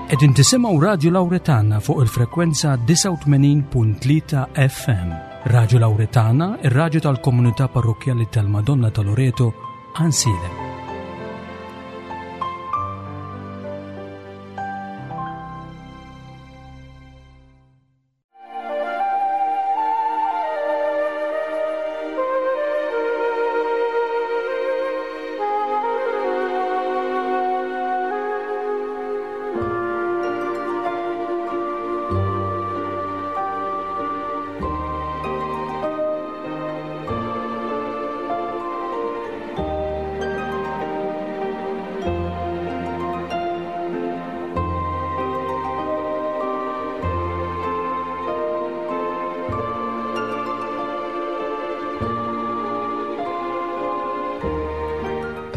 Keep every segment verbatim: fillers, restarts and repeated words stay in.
Qegħdin tisimgħu Radio Lauretana fuq il-frekwenza disgħa u tmenin punt tlieta F M. Radio Lauretana, ir-radju tal-Komunità Parrokkjali tal-Madonna ta' Loreto, Għajnsielem.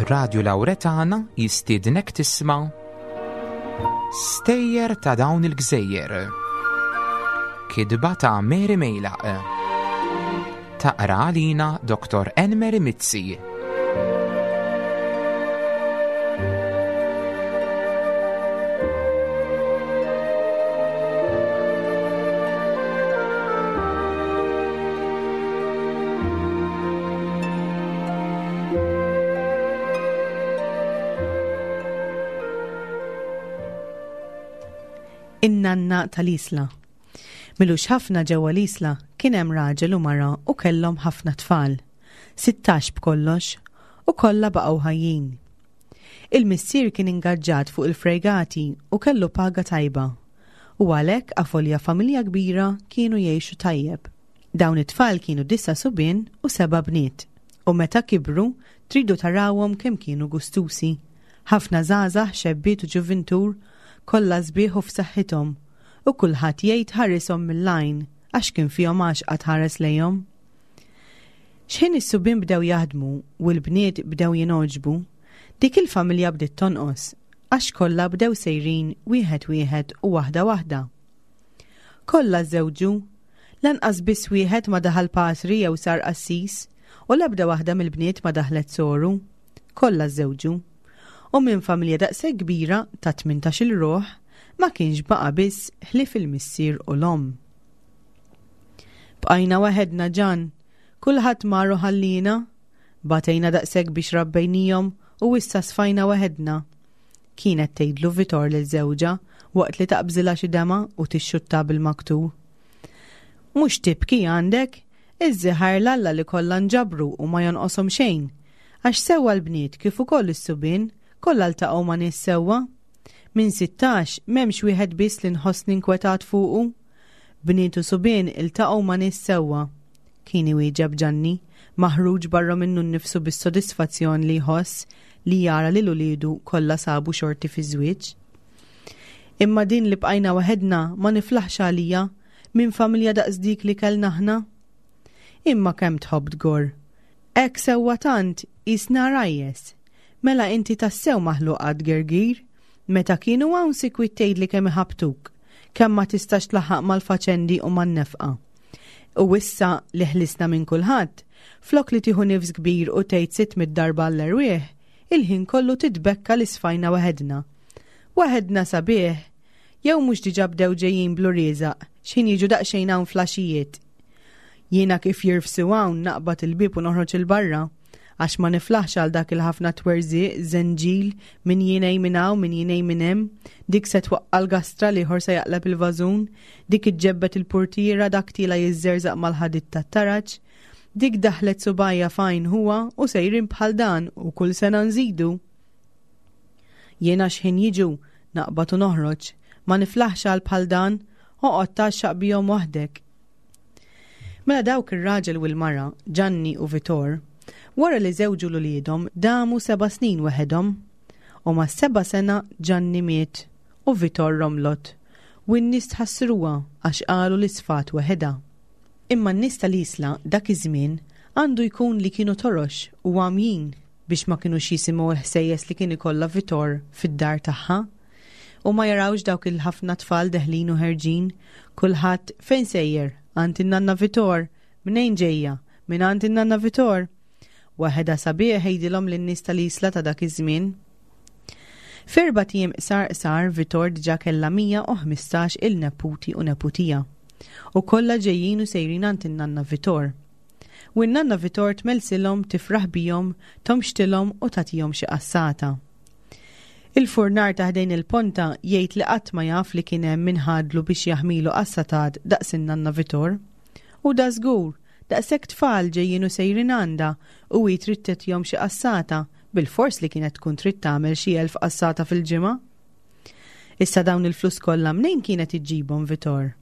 Radio Lauretana jistiednek tisma' Stejjer ta' dawn il-gżejjer. Kitba ta' Mary Mejlaq. Taqra għalina Doktor Enmeri Mizzi. In-nanna tal-Isla. M'ilux ħafna ġewwa l-Isla kien hemm raġel u mara u kellhom ħafna tfal. Sittax b'kollox u kollha baqgħu ħajjin. Il-missier kien ingaġġat fuq il-fregati u kellu paga tajba. U għalhekk avolja familja kbira kienu jgħixu tajjeb. Dawn it-tfal kienu disa' subien u seba' bniet. U meta kibru tridu tarawhom kemm kienu gustusi. Ħafna żgħażagħ, xebbiet u ġuvintur, kollha sbieħ u f'saħħithom, u kulħadd jgħid ħarishom mill-għajn għax kien fihom għaxqa tħares lejhom. X'ħin is-subien bdew jaħdmu u l-bniet bdew jingħoġbu, dik il-familja bdiet tonqos għax kollha bdew sejrin wieħed wieħed u waħda waħda. Kollha żewġu, lanqas biss wieħed ma daħal patri jew sar qassis u l-ebda waħda mill-bniet ma daħlet soru. Kollha żewġu. U minn familja daqshekk kbira ta' tmintax-il ruħ ma kienx baqa' biss ħlief il-missier u l-omm. "Bqajna waħedna Ġan, kulħadd mar u ħallina, batejna daqshekk biex rabbejnihom u issa sfajna waħedna." Kienet tgħidlu Vitor lil żewġha waqt li taqbżilha xi demgħa u tixxutta bil-maktur. "Mhux tibki għandek, iżżi ħajr 'l Alla li kollha nġabru u ma jonqoshom xejn, għax sewwa l-bniet kif ukoll is-subien kollha ltaqgħu ma' nies sewwa. Minn sittax m'hemmx wieħed biss li nħossni inkwetat fuqu. Bniet u subien iltaqgħu ma' nies sewwa." Kien iwieġeb Ġanni, maħruġ barra minnu nnifsu bis-sodisfazzjon li jħoss li jara lil uliedu kollha sabu xorti fi żwieġ. "Imma din li bqajna waħedna ma niflaħx għalija minn familja daqs dik li kellna aħna. Imma kemm tħobb tgorr. Hekk sewwa tant qisna għarajjes. Mela inti tassew maħluqa tgergir, meta kienu hawn sikwit tgħidli kemm iħabtuk, kemm ma tistax tlaħħaq mal-faċendi u man-nefqa. U issa li ħlisna minn kulħadd, flok li tieħu nifs kbir u tgħid sitt mitt darba l-erwieħ, il-ħin kollu titbekka li sfajna waħedna. Waħedna sabiħ, jew mhux diġà bdew ġejjin bl-uriżaq, x'ħin jiġu daqsxejn hawn flaxijiet. Jiena kif jirfsu hawn naqbad il-bieb u noħroġ 'il barra, għax ma niflaħx għal dak il-ħafna twerżiq, żenġil, min jinej minn hawn, min jinej minn hemm, dik se twaqqa l-gastra, l-ieħor se jaqleb il-vażun, dik iġġebbet il-portiera, dak tila jiżżerżaq mal-ħadid tat-taraġ, dik daħlet subgħajha f'għajn ħuha u sejrin bħal dan u kull sena nżidu. Jiena x'ħin jiġu naqbad u noħroġ, ma niflaħx għal bħal dan, oqgħod tgħaxxaq bihom waħdek." Mela dawk ir-raġel u l-mara, Ġanni u Vitor, wara li żewġu 'l uliedhom damu seba' snin weħedhom. U ma' seba' sena Ġanni miet u Vitor romlot. U n-nies tħassruha għax qalu li sfat weħedha. Imma n-nies tal-Isla dak iż-żmien għandu jkun li kienu torox u għamjin biex ma kinux jisimgħu l-ħsejjes li kien ikollha Vitor fid-dar tagħha u ma jarawx dawk il-ħafna tfal deħlin u ħerġin, kulħadd "Fejn sejjer? Għand in-nanna Vitor. Mnejn ġejja? Minn għand in-nanna Vitor." Waħedha sabiħ, jgħidilhom lin-nies tal-Isla ta' dak iż-żmien. F'erbat ijiem qsar qsar Vitor diġà kellha mija u ħmistax il-neputi u neputija. U kollha ġejjin u sejrin għand in-nanna Vitor. U n-nanna Vitor tmelsilhom, tifraħ bihom, tomxtilhom u tagħtihom xi qassata. Il-furnar ta' ħdejn il-ponta jgħid li qatt ma jaf li kien hemm min ħadlu biex jaħmilu qassatat daqs in-nanna Vitor. U da żgur, daqshekk tfal ġejjin u sejrin għandha u hi trid tagħtihom xi qassata, bilfors li kienet tkun trid tagħmel xi elf qassata fil-ġimgħa. Issa dawn il-flus kollha mnejn kienet iġġibhom Vitor?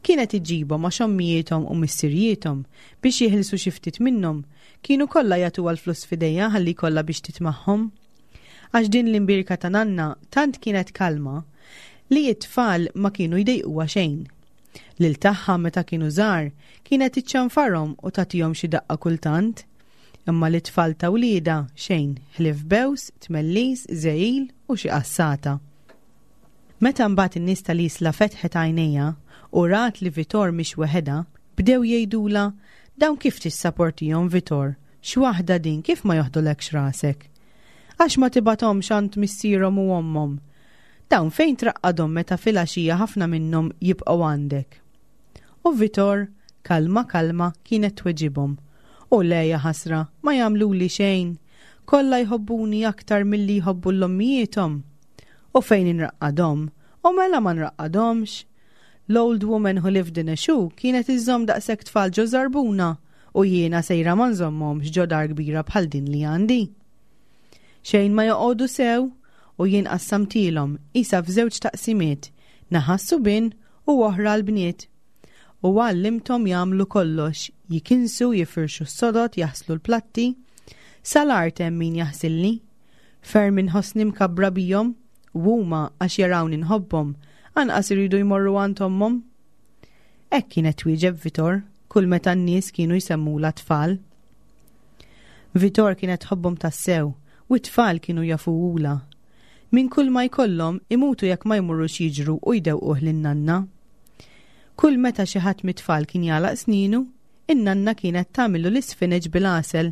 Kienet iġġibhom għax ommijiethom u missirijiethom biex jeħilsu xi ftit minnhom kienu kollha jagħtuha l-flus f'idejha ħalli kollha biex titmagħhom. Għax din l-imbirka ta' nanna tant kienet kalma li t-tfal ma kienu jdejquha xejn. Lil tagħha meta kienu żgħar kienet iċċanfarhom u tagħtihom xi daqqa kultant. Imma li tfal ta' wliedha xejn ħlief bews, tmellis, żegħil u xi qassata. Meta mbagħad in-nies tal-Isla fetħet għajnejha u rat li Vitor mhix weħedha, bdew jgħidulha dawn kif tissaportihom Vitor, x'waħda din kif ma joħdulekx rasek? Għax ma tibgħathomx għand missierhom u ommhom. Dawn fejn traqqadhom meta filgħaxija ħafna minnhom jibqgħu għandek. U Vitor, kalma kalma, kienet tweġibhom. U le ja ħasra, ma jagħmluli xejn. Kollha jħobbuni aktar milli jħobbu l-ommijiethom. U fejn inraqqadhom? U mela ma nraqqadhomx. L-old woman who lived in a shoe kienet iżżomm daqshekk tfal ġo żarbuna u jiena sejra ma nżommhomx ġo dar kbira bħal din li għandi. Xejn ma joqogħdu sew u jien qassamtilhom isa f'żewġ taqsimiet, naħa s-subien u oħra l-bniet. U għallimthom jagħmlu kollox, jikinsu, jifirxu s-sodod, jaħslu l-platti. Sal-art hemm min jaħsilli. Ferm inħossni mkabbra bihom, u huma għax jarawni nħobbhom, anqas iridu jmorru għand ommhom. Hekk kienet twieġeb Vitor kull meta n-nies kienu jsemmula tfal. Vitor kienet tħobbhom tassew u t-tfal kienu jafuhulha. Minn kull ma jkollhom imutu jekk ma jmorrux jiġru u jdewquh lin-nanna. Kull meta xi ħadd mit-tfal kien jagħlaq sninu, in-nanna kienet tagħmillu l-isfineġ bil-għasel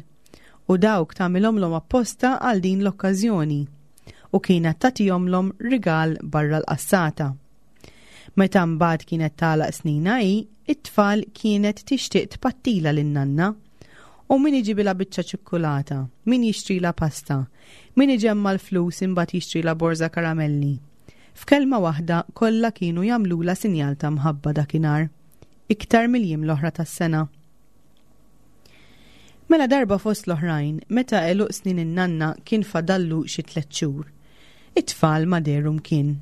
u dawk tagħmilhomlhom apposta għal din l-okkażjoni u kienet tagħtihomlhom rigal barra l-qassata. Meta mbagħad kienet tagħlaq snina hi, it-tfal kienet tixtieq tpattila lin-nanna. U min iġibilha biċċa ċikkulata, min jixtrila pasta, min iġemma l-flus imbagħad jixtrila borża karamelli. F'kelma waħda kollha kienu jagħmlulha sinjal ta' mħabba dakinhar, iktar mill-jiem l-oħra tas-sena. Mela darba fost l-oħrajn, meta għeluq snin in-nanna kien fadallu xi tliet xhur, it-tfal ma dehru mkien.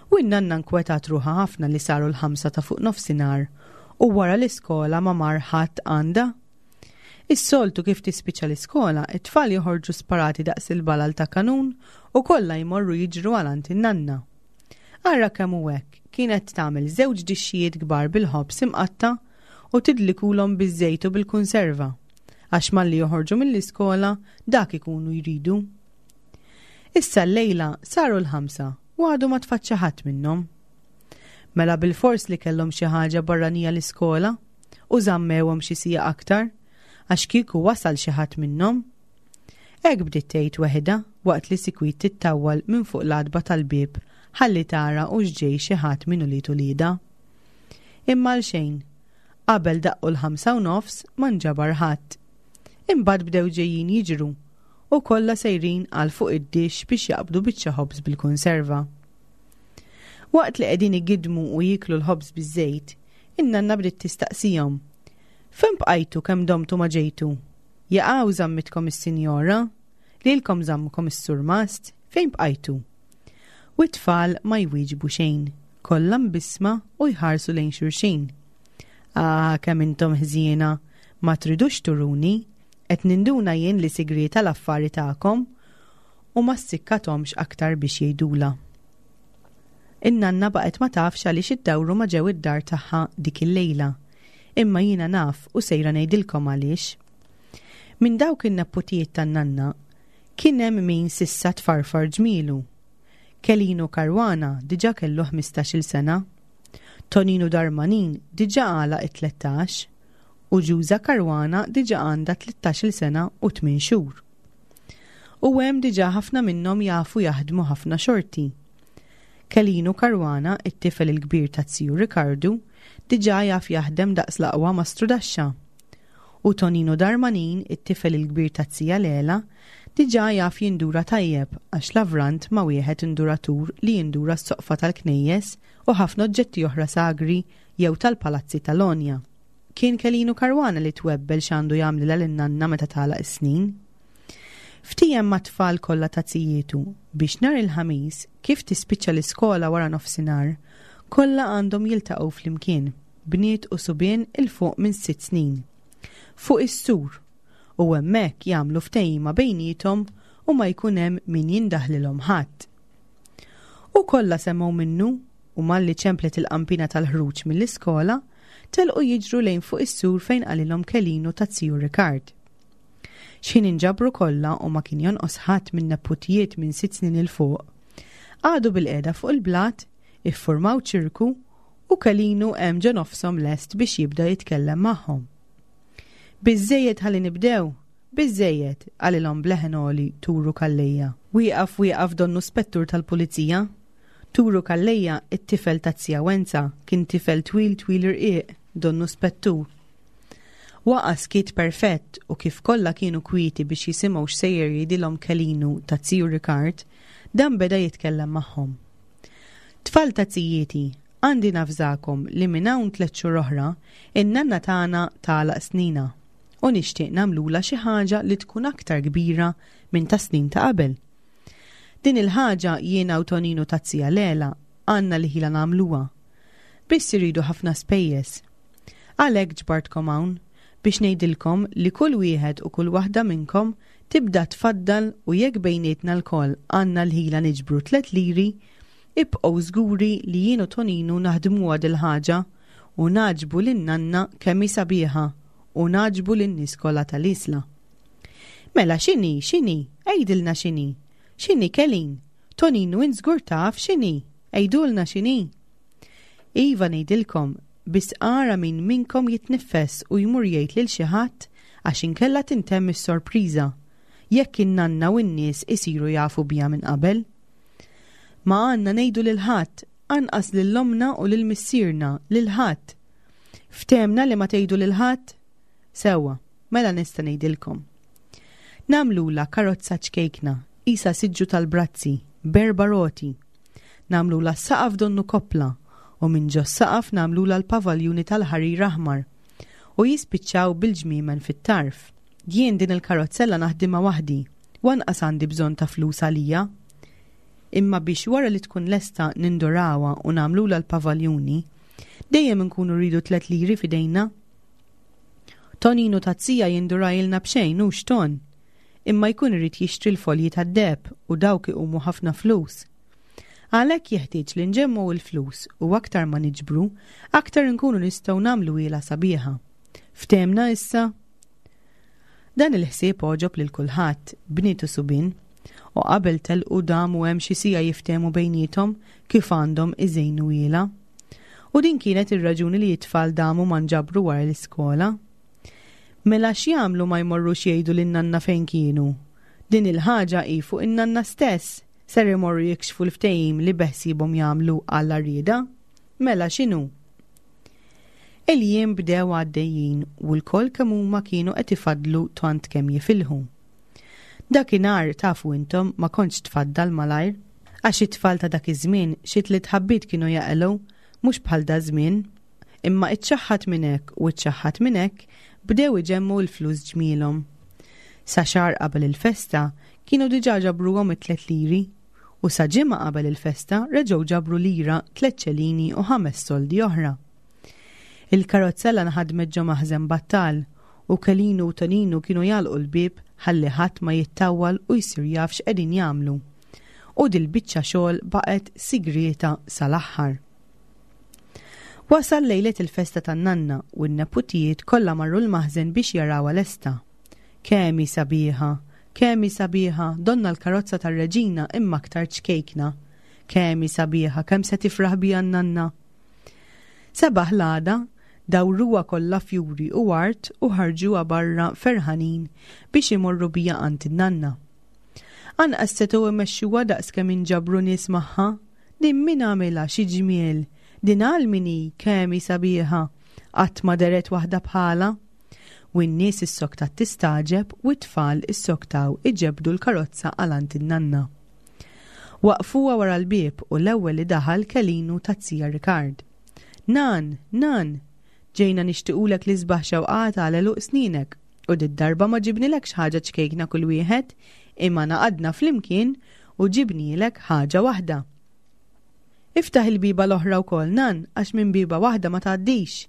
U n-nanna nkwetat ruħha ħafna li saru l-ħamsa ta' fuq nofsinhar u wara l-iskola ma mar ħadd għandha. Is-soltu kif tispiċċa l-iskola, it-tfal joħorġu sparati daqs il-balal ta' kanun u kollha jmorru jiġru għal għand in-nanna. Ara kemm hu hekk, kienet tagħmel żewġ dixxijiet kbar bil-ħobż imqatta' u tidlikulhom biż-żejt u bil-kunserva, għax malli joħorġu mill-iskola dak ikunu jridu. Issa l-lejla saru l-ħamsa u għadu ma tfaċċa ħadd minnhom. Mela bilfors li kellhom xi ħaġa barranija l-iskola u żammewhom xi siegħa aktar, għax kieku wasal xi ħadd minnhom. Hekk bdiet tgħid weħidha waqt li sikwit tittawwal minn fuq l-għatba tal-bieb ħalli tara u x'ġej xi ħadd minn ulied uliedha. Imma għal xejn, qabel daqqu l-ħamsa u nofs ma nġabar ħadd. Imbagħad bdew ġejjin jiġru u kollha sejrin għal fuq id-dixx biex jaqbdu biċċa ħobż bil-konserva. Waqt li qegħdin igidmu u jieklu l-ħobż biż-żejt, in-nanna bdiet tistaqsihom. Fejn bqajtu kemm domtu ma ġejtu? Jaqaw żammitkom is-sinjora? Lilkom żammkom is-surmast? Fejn bqajtu? U t-tfal ma jwieġbu xejn, kollha mbisma u jħarsu lejn xulxin. Ah, kemm intom ħżiena, ma tridux turuni, qed ninduna jien li sigrieta l-affari tagħkom u ma ssikkathomx aktar biex jgħidula. In-nanna baqgħet ma tafx għaliex iddawru ma ġew id-dar tagħha dik il-lejla. Imma jiena naf u sejra ngħidilkom għaliex. Minn dawk in-neputijiet tan-nanna kien hemm min sissa tfarfar ġmielu. Kelinu Karwana diġà kellu ħmistax-il sena. Toninu Darmanin diġà għalaq it-tlettax u Ġuża Karwana diġà għandha tlettax-il sena u tmien xhur. U hemm diġà ħafna minnhom jafu jaħdmu ħafna xorti. Kelinu Caruana, it-tifel il-kbir ta' ziju Rikardu, diġà jaf jaħdem daqs l-aqwa mastrudaxxa. U Tonino Darmanin, it-tifel il-kbir ta' zija Lela, diġà jaf jindura tajjeb għax lavrant ma' wieħed induratur li jindura s-soqfa tal-knejjes u ħafna oġġetti oħra sagri jew tal-palazzi tal-Onja. Kien Kelinu Caruana li twebbel x'għandu jagħmlilha lin-nanna meta tagħlaq is-snin. Ftiehem mat-tfal kollha ta' zijietu biex nhar il-Ħamis, kif tispiċċa l-iskola wara nofsinhar, kollha għandhom jiltaqgħu flimkien, bniet u subien 'il fuq minn sitt snin. Fuq is-sur, u hemmhekk jagħmlu ftehima bejniethom u ma jkun hemm min jindaħlilhom ħadd. U kollha semgħu minnu u malli ċemplet il-qampina tal-ħruġ mill-iskola, telqu jiġru lejn fuq is-sur fejn qalilhom Kelinu ta' ziju Rikard. X'ħin inġabru kollha u ma kien jonqos ħadd minn neputijiet minn sitt snin 'il fuq, qagħdu bilqiegħda fuq il-blat, iffurmaw ċirku u Kelinu hemm ġo nofshom lest biex jibda jitkellem magħhom. Biżżejjed ħalli nibdew, biżżejjed, qalilhom b'leħen għoli Turu Calleja. Wieqaf wieqaf donnu spettur tal-pulizija. Turu Calleja, it-tifel ta' zija Wenza, kien tifel twil twil irqiq, donnu spettur. Waqa' skiet perfett u kif kollha kienu kwieti biex jisimgħu x'sejjer jgħidilhom Kelinu ta' ziju Rikard, dan beda jitkellem magħhom. Tfal ta' zijieti, għandi nafżakom li minn hawn tliet xhur oħra, in-nanna tagħna tagħlaq snina u nixtieq nagħmlulha xi ħaġa li tkun aktar kbira minn ta' snin ta' qabel. Din il-ħaġa jiena u Toninu ta' zija Lela għandna li ħila nagħmluha. Biss iridu ħafna spejjeż. Għalhekk ġbartkom hawn biex ngħidilkom li kull wieħed u kull waħda minnkom tibda tfaddal u jekk bejnietna lkoll għandna l-ħila niġbru tliet liri, ibqgħu żguri li jien u Toninu naħdmuha dil-ħaġa u nagħġbu lin-nanna kemm hi sabiħa u nagħġbu lin-nies kollha tal-Isla. Mela x'inhi, x'inhi, għidilna x'inhi. X'inhi Kelin? Toninu int żgur taf x'inhi, għidulna x'inhi. Iva ngħidilkom, biss ara min minnkom jitniffes u jmur jgħid lil xi ħadd għax inkella tintemm is-sorpriża jekk in-nanna u n-nies isiru jafu biha minn qabel. Ma għandna ngħidu lil ħadd, anqas lil ommna u lil missierna, lil ħadd. Ftehmna li ma tgħidu lil ħadd? Sewwa, mela nista' ngħidilkom. Nagħmlulha karozza ċkejkna, qisha siġġu tal-brazzi, b'erba' roti. Nagħmlulha saqaf donnu koppla u minn ġo saqaf nagħmlulha l-pavaljuni tal-ħarir aħmar u jispiċċaw bil-ġmiemen fit-tarf. Jien din il-karozzella naħdimha waħdi, u anqas għandi bżonn ta' flus għalija. Imma biex wara li tkun lesta nindurawha u nagħmlulha l-pavaljuni, dejjem nkunu rridu tliet liri f'idejna. Toninu ta' zija jindurajilna b'xejn hux Ton, imma jkun irid jixtri l-folji tad-deheb u dawk iqumu ħafna flus. Għalhekk jeħtieġ li nġemmgħu l-flus u aktar ma niġbru, aktar nkunu nistgħu nagħmlu ilha sabiħa. Ftehmna issa? Dan il-ħsieb għoġob lil kulħadd, bniet u subien, u qabel telqu damu hemm xi siegħa jiftehmu bejniethom kif għandhom iżejnu ilha. U din kienet ir-raġuni li t-tfal damu ma nġabru wara l-iskola. Mela x'jagħmlu ma jmorrux jgħidu lin-nanna fejn kienu? Din il-ħaġa hi fuq in-nanna stess, ser imorru jikxfu l-ftehim li beħsiebhom jagħmlu għall-għarrieda? Mela x'inhu? Il-jiem bdew għaddejjin u lkoll kemm huma kienu qed ifaddlu tant kemm jifilħu. Dakinhar tafu intom ma kontx tfaddal malajr, għax it-tfal ta' dak iż-żmien xi tliet ħabbiet kienu jaqilgħu, mhux bħal da żmien. Imma iċċaħħat minn hekk u iċċaħħat minn hekk bdew iġemmu l-flus ġmielhom. Sa xahar qabel il-festa kienu diġà ġabruhom it-tliet liri u sa ġimgħa qabel il-festa reġgħu ġabru lira, tliet ċelini u ħames soldi oħra. Il-karozzella nħadmet ġo maħżen battal u Kelinu u Toninu kienu jagħlqu l-bieb ħalli ħadd ma jittawwal u jsir jaf x'qegħdin jagħmlu. U dil-biċċa xogħol baqgħet sigrieta sal-aħħar. Wasal lejlet il-festa tan-nanna u n-neputijiet kollha marru l-maħżen biex jarawha lesta. Kemm hi sabiħa, kemm hi sabiħa, donna l-karozza tar-reġina imma aktar ċkejkna. Kemm hi sabiħa, kemm se tifraħ biha n-nanna. Sebaħ l-għada, dawruha kollha fjuri u art u ħarġuha barra ferħanin biex imorru biha għand in-nanna. Anqas setgħu imexxuha daqs kemm inġabru nies magħha. Din min għamilha xi ġmiel, din għal min hi kemm hi sabiħa, qatt ma dehret waħda bħalha. U n-nies issoktat tistagħġeb u t-tfal issoktaw iġebbdu l-karozza għal għand in-nanna. Waqfuha wara l-bieb u l-ewwel li daħal Kelinu taz-zija Rikard. Nan, nan, ġejna nixtiqulek l-isbaħ xewqat għal għeluq sninek u did-darba ma ġibnilekx ħaġa ċkejkna kull wieħed imma ngħaqadna flimkien u ġibnilek ħaġa waħda. Iftaħ il-bieba l-oħra wkoll nan għax minn bieba waħda ma tgħaddix.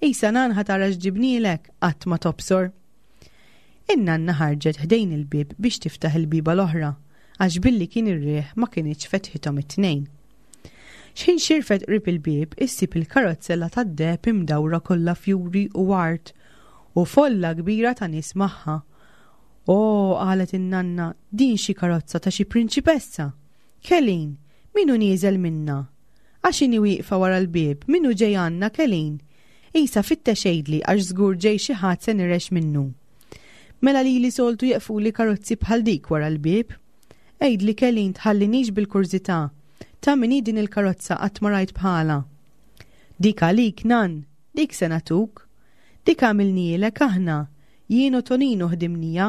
Isa nan ħa tara x'ġibnilek qatt ma tobsor. In-nanna ħarġet ħdejn il-bieb biex tiftaħ il-bieba l-oħra għax billi kien ir-riħ ma kinitx fetħithom it-tnejn. X'ħin xirfet qrib il-bieb issib il-karozzella tad-deheb imdawra kollha fjuri u ward u folla kbira ta' nies magħha. O, qalet in-nanna, din xi karozza ta' xi prinċipessa. Kelin, min hu nieżel minnha? Għax inhi wieqfa wara l-bieb, min hu ġej għandna Kelin? Isa fittex għidli għax żgur ġej xi ħadd se nirgħex minnu. Mela lili soltu jeqfuli karozzi bħal dik wara l-bieb. Għidli Kelin tħallinix bil-kurżità. Ta' min hi din il-karozza qatt ma rajt bħalha. Dik għalik nan, dik se nagħtuk. Dik għamilnielek aħna, jien u Toninu ħdimnieha,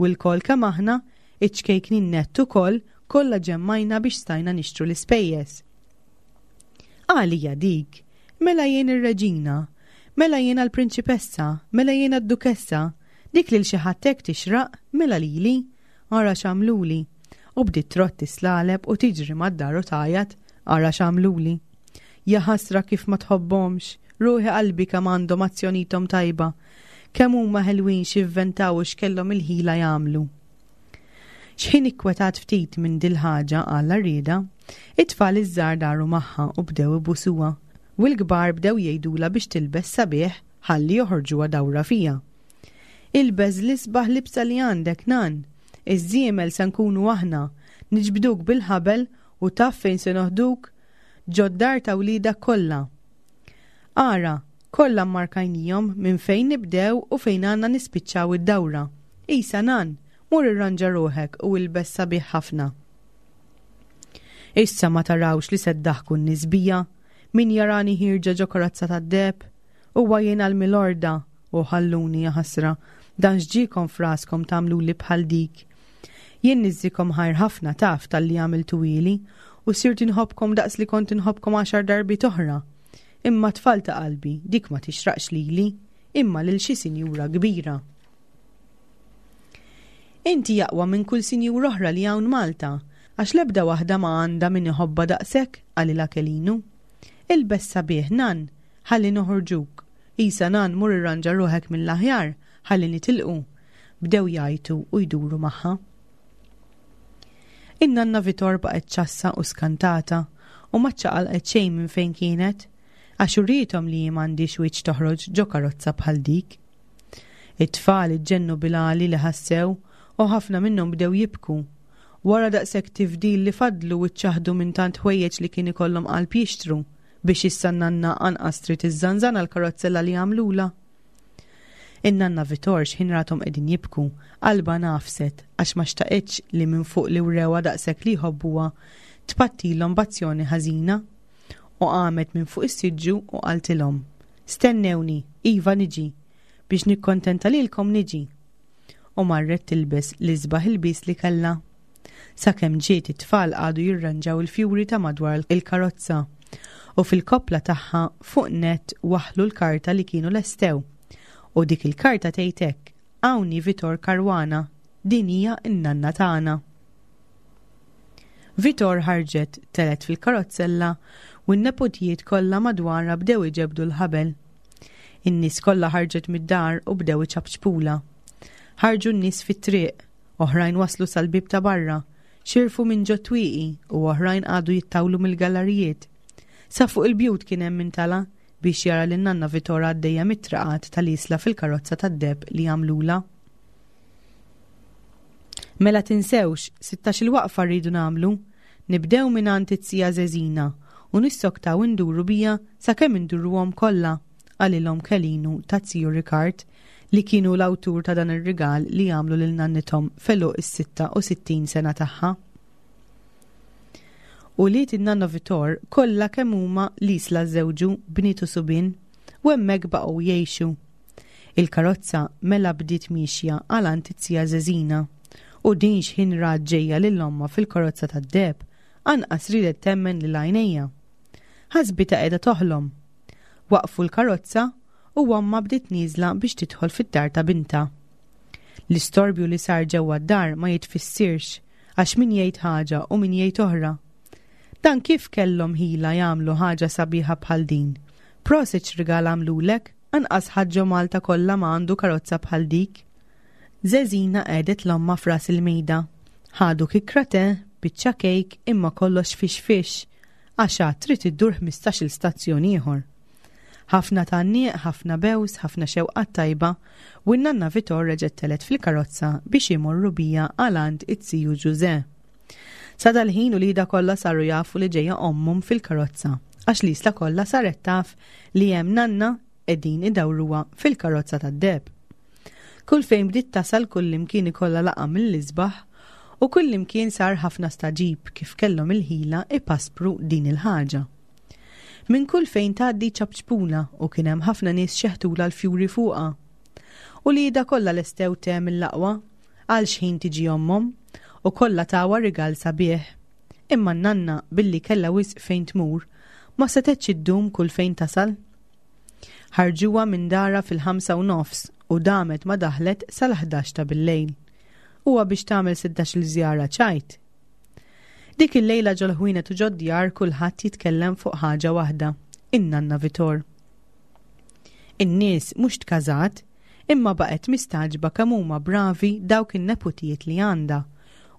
u lkoll kemm aħna, iċ-ċkejknin nett ukoll, kollha ġemmajna biex stajna nixtru l-ispejjeż. Għalija dik, mela jien ir-reġina, mela jiena l-prinċipessa, mela jiena d-dukessa, dik lil xi ħadd hekk tixraq, mela lili, ara x'għamluli. U bdiet trotti slaleb u tiġri mad-dar u tgħajjat, ara x'għamluli. Ja ħasra kif ma tħobbhomx, ruħi qalbi kemm għandhom azzjonitom tajba, kemm huma ħelwin x'ivventaw u x'kellhom il-ħila jagħmlu. X'ħin ikkwetat ftit minn dil-ħaġa għal rieda, it-tfal iż-żgħar daru magħha u bdew ibusuha, u l-kbar bdew jgħidulha biex tilbes sabiħ ħalli joħorġuha dawra fija. Ilbes l-isbaħ libsa li għandek nan, iż-żiemel se nkunu aħna, niġbduk bil-ħabel u taf fejn se noħduk ġod-dar ta' wliedek kollha. Ara, kollha mmarkajnihom minn fejn nibdew u fejn għandna nispiċċaw id-dawra. Isa nan, mur irranġa ruħek u ilbes sabiħ ħafna. Issa ma tarawx li se ddaħku n-nies bija, min jarani ħierġa ġo karozza tad-deheb, huwa jiena l-milorda u ħalluni ħasra, dan x'ġiekom f'raskom tagħmluli bħal dik. Jien niżżikom ħajr ħafna taf talli għamiltuhieli u sirt inħobbkom daqs li kont inħobbkom għaxar darbiet oħra. Imma tfal ta' qalbi, dik ma tixraqx lili, imma lil xi sinjura kbira. Inti aqwa minn kull sinjura oħra li hawn Malta, għax l-ebda waħda ma għandha min iħobbha daqsek, qalilha Kelinu. Ilbes sabiħ nan, ħalli noħorġuk. Isa nan mur irranġa ruħek mill-aħjar, ħalli nitilqu. Bdew jgħajtu u jduru magħha. In-nanna Vitor baqgħet ċassa u skantata u ma ċċaqalqet xejn minn fejn kienet, għax uriethom li m'għandhiex wiċċ toħroġ ġo karozza bħal dik. It-tfal iġġennu bil-għali li ħassew u ħafna minnhom bdew jibku. Wara daqshekk tifdil li fadlu u ċċaħdu minn tant ħwejjeġ li kien ikollhom qalb jixtru biex issa n-nanna anqas trid iżżanżan għall-karozzella li għamlula. In-nanna Vitor x'ħin rathom qegħdin jibku, qalbha nafset għax ma xtaqitx li minn fuq li wrewha daqshekk li jħobbuha tpattilhom b'azzjoni ħażina. U qamet minn fuq is-siġġu u qaltilhom: Stennewni, iva niġi, biex nikkontenta lilkom niġi. U marret tilbes l-isbaħ ilbies li kellha. Sakemm ġiet it-tfal qagħdu jirranġaw il-fjuri ta' madwar il-karozza u fil-koppla tagħha fuq net waħlu l-karta li kienu lestew. U dik il-karta tgħid hekk: Hawn hi Vitor Caruana, din hija n-nanna tagħna. Vitor ħarġet telgħet fil-karozzella u n-nepotijiet kollha madwarha bdew iġebdu l-ħabel. In-nies kollha ħarġet mid-dar u bdew iċapċpula. Ħarġu n-nies fit-triq, oħrajn waslu sal-bieb ta' barra, xirfu minn ġo twieqi u oħrajn qagħdu jittawlu mill-gallerijiet. Sa fuq il-bjut kien hemm min tala' biex jara lin nanna Vitor għaddejja mit-traqat tal-Isla fil-karozza tad-deheb li għamlula. Mela tinsewx, sittax-il waqfa rridu nagħmlu, nibdew minn għand it-tija Zeżina u nissoktaw induru bija sakemm induruhom kollha, qalilhom Kelinu ta' Ziju Rikard li kienu l-awtur ta' dan ir-rigal li għamlu lil nannithom f'għeluq is-sitta u sittin sena tagħha. Ulied in-nanna Vitor kollha kemm huma l-Isla żewġu bniet u subien u hemmhekk baqgħu jgħixu. Il-karozza mela bdiet miexja għal għand it-tija Żeżina u din x'ħin rat ġejja lil ommha fil-karozza tad-deheb anqas riedet temmen lil għajnejha. Ħasbitha qiegħda toħlom. Waqfu l-karozza u ommha bdiet nieżla biex tidħol fid-dar ta' bintha. L-istorbju li sar ġewwa d-dar ma jitfissirx għax min jgħid ħaġa u min jgħid oħra. Dan kif kellhom ħila jagħmlu ħaġa sabiħa bħal din? Prosit x'rigal għamlulek, anqas ħadd ġo Malta kollha ma għandu karozza bħal dik. Żeżina qegħdet 'l ommha f'ras il-mejda. Ħadu kikra te, biċċa kejk imma kollox fix fix, għax għad trid iddur ħmistax-il stazzjon ieħor. Ħafna tgħanniq, ħafna bews, ħafna xewqat tajba u n-nanna Vitor reġgħet telgħet fil-karozza biex imorru bija għal għand it-tiju Ġuże. Sa dal-ħin uliedha kollha saru jafu li ġejja ommhom fil-karozza, għax l-Isla kollha saret taf li hemm nanna qegħdin idawruha fil-karozza tad-deheb. Kull fejn bdiet tasal kullimkien ikollha laqgħa mill-isbaħ u kullimkien sar ħafna staġib kif kellhom il-ħila ipaspru din il-ħaġa. Minn kull fejn tgħaddi ċapċpula u kien hemm ħafna nies xeħtula l-fjuri fuqha. Uliedha kollha lestew te mill-aqwa għal xħin tiġi ommhom u kollha tawha rigal sabiħ. Imma n-nanna billi kellha wisq fejn tmur ma setgħetx iddum kull fejn tasal. Ħarġuha minn dara fil-ħamsa u nofs u damet ma daħlet sal-ħdax ta' bil-lejl. Huwa biex tagħmel sittax-il żjara ċajt. Dik il-lejla ġol-ħwienet u ġod-djar kulħadd jitkellem fuq ħaġa waħda, in-nanna Vitor. In-nies mhux tkażat, imma baqgħet mistagħġba kemm huma bravi dawk in-neputijiet li għandha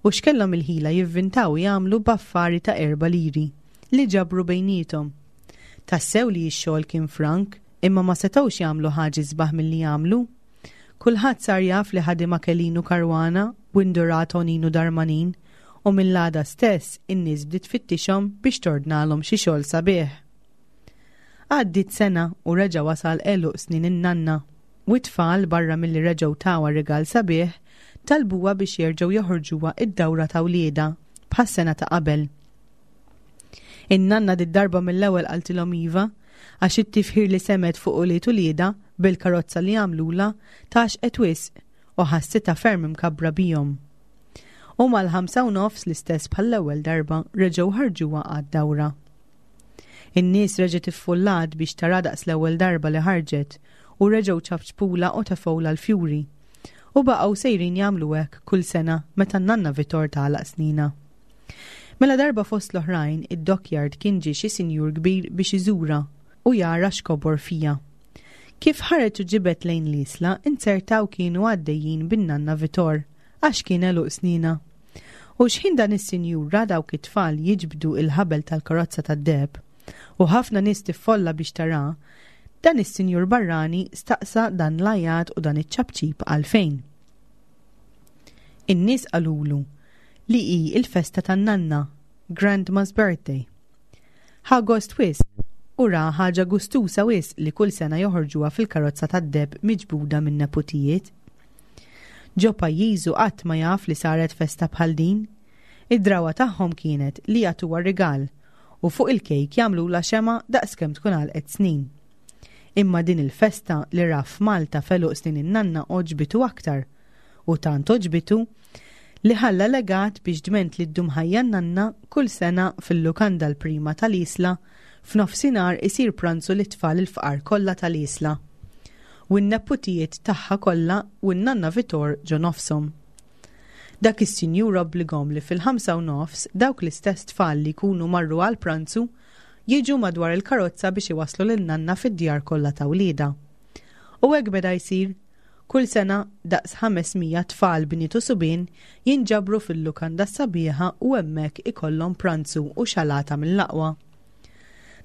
u x'kellhom il-ħila jivvintaw jagħmlu b'affari ta' erba' liri li ġabru bejniethom. Tassew li x-xogħol kien frank, imma ma setgħux jagħmlu ħaġa isbaħ milli jagħmlu. Kulħadd sar jaf li ħadima Kelinu Caruana u indurat Oninu Darmanin u mill-għada stess in-nies bdiet tfittixhom biex tordnalhom xi xogħol sabiħ. Għaddiet sena u reġa' wasal għeluq snin in-nanna u t-tfal barra milli reġgħu tawha rigal sabiħ talbuha biex jerġgħu joħorġuha id-dawra ta' wliedha bħas-sena ta' qabel. In-nanna did-darba mill-ewwel qaltilhom iva għax it-tifħir li semet fuq ulied uliedha bil-karozza li għamlula tgħaxqet wisq u ħassitha ferm imkabbra bihom. U mal-ħamsa u nofs l-istess bħall-ewwel darba reġgħu ħarġuha għad-dawra. In-nies reġgħet iffullat biex tara daqs l-ewwel darba li ħarġet u reġgħu ċapċpula u tefgħulha l-fjuri. U baqgħu sejrin jagħmlu hekk kull sena meta n-nanna Vitor tagħlaq snina. Mela darba fost l-oħrajn id-dockyard kien ġie xi sinjur kbir biex iżura u jara x'kobor fija. Kif ħareġ u ġibed lejn l-Isla, inzertaw kienu għaddejjin bin-nanna Vitor għax kien għeluq snina. U xħin dan is-sinjur ra dawk it-tfal jiġbdu il-ħabel tal-karozza tad-deheb u ħafna nies tiffolla biex tara, dan is-sinjur barrani staqsa dan l-għajat u dan iċ-ċapċip għalfejn. In-nies qalulu li hi il-festa tan-nanna, Grandma's Birthday. Ħa gost wisq u ra ħaġa gustusa wisq li kull sena joħorġuha fil-karozza tad-deheb miġbuda minn neputijiet. Ġo pajjiżu qatt ma jaf li saret festa bħal din. Id-drawa tagħhom kienet li jagħtuha rigal u fuq il-kejk jagħmlulha xema daqskemm tkun għalqet snin. Imma din il-festa li ra f'Malta f'għeluq snin in-nanna oġbitu aktar u tant oġbitu li ħalla legat biex dment li ddum ħajja n-nanna kull sena fil-lukanda l-prima tal-Isla f'nofsinhar isir pranzu lit-tfal il-fqar kollha tal-Isla. U n-neputijiet tagħha kollha u n-nanna Vitor ġo nofshom. Dak is-sinjur obbligom li fil-ħamsa u nofs dawk l-istess tfal li jkunu marru għal pranzu jiġu madwar il-karozza biex iwasslu lin-nanna fid-djar kollha ta' wliedha. U hekk beda jsir. Kull sena daqs ħames mija tfal bniet u subien jinġabru fil-lukanda sabiħa u hemmhekk ikollhom pranzu u xalata mill-aqwa.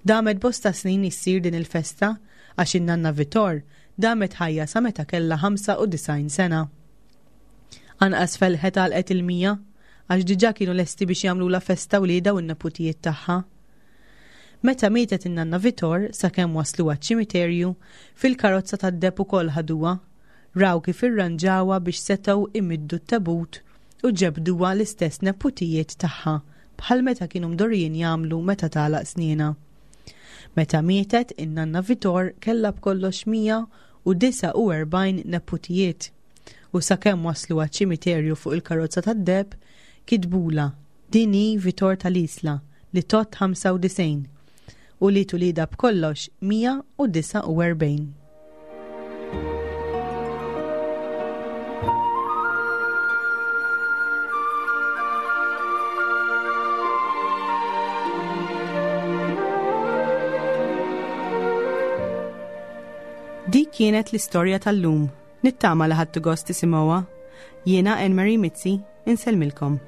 Damet bosta snin issir din il-festa għax in-nanna Vitor damet ħajja sa meta kellha ħamsa u disgħin sena. Anqas felħet għalqet il-mija għax diġà kienu lesti biex jagħmlulha festa wliedha u n-neputijiet tagħha. Meta mietet in-nanna Vitor sakemm waslu għaċ-ċimiterju, fil-karozza tad-deheb ukoll ħaduha, Raw kif irranġawha biex setgħu imiddu t-tabut u ġebduha l-istess neputijiet tagħha bħal meta kienu mdorrijin jagħmlu meta tagħlaq snienha. Meta mietet in-nanna Vitor kellha b'kollox mija u disgħa u erbgħin neputijiet u sakemm waslu għaċ-ċimiterju fuq il-karozza tad-deheb kitbulha din hi Vitor tal-Isla li tgħodd ħamsa u disgħin u li tulida b'kollox mija u disgħa u erbgħin. Dik kienet l-istorja tal-lum. Nittama li ħadtu gost tisimgħuha. Jiena Anne Marie Mizzi, insellmilkom.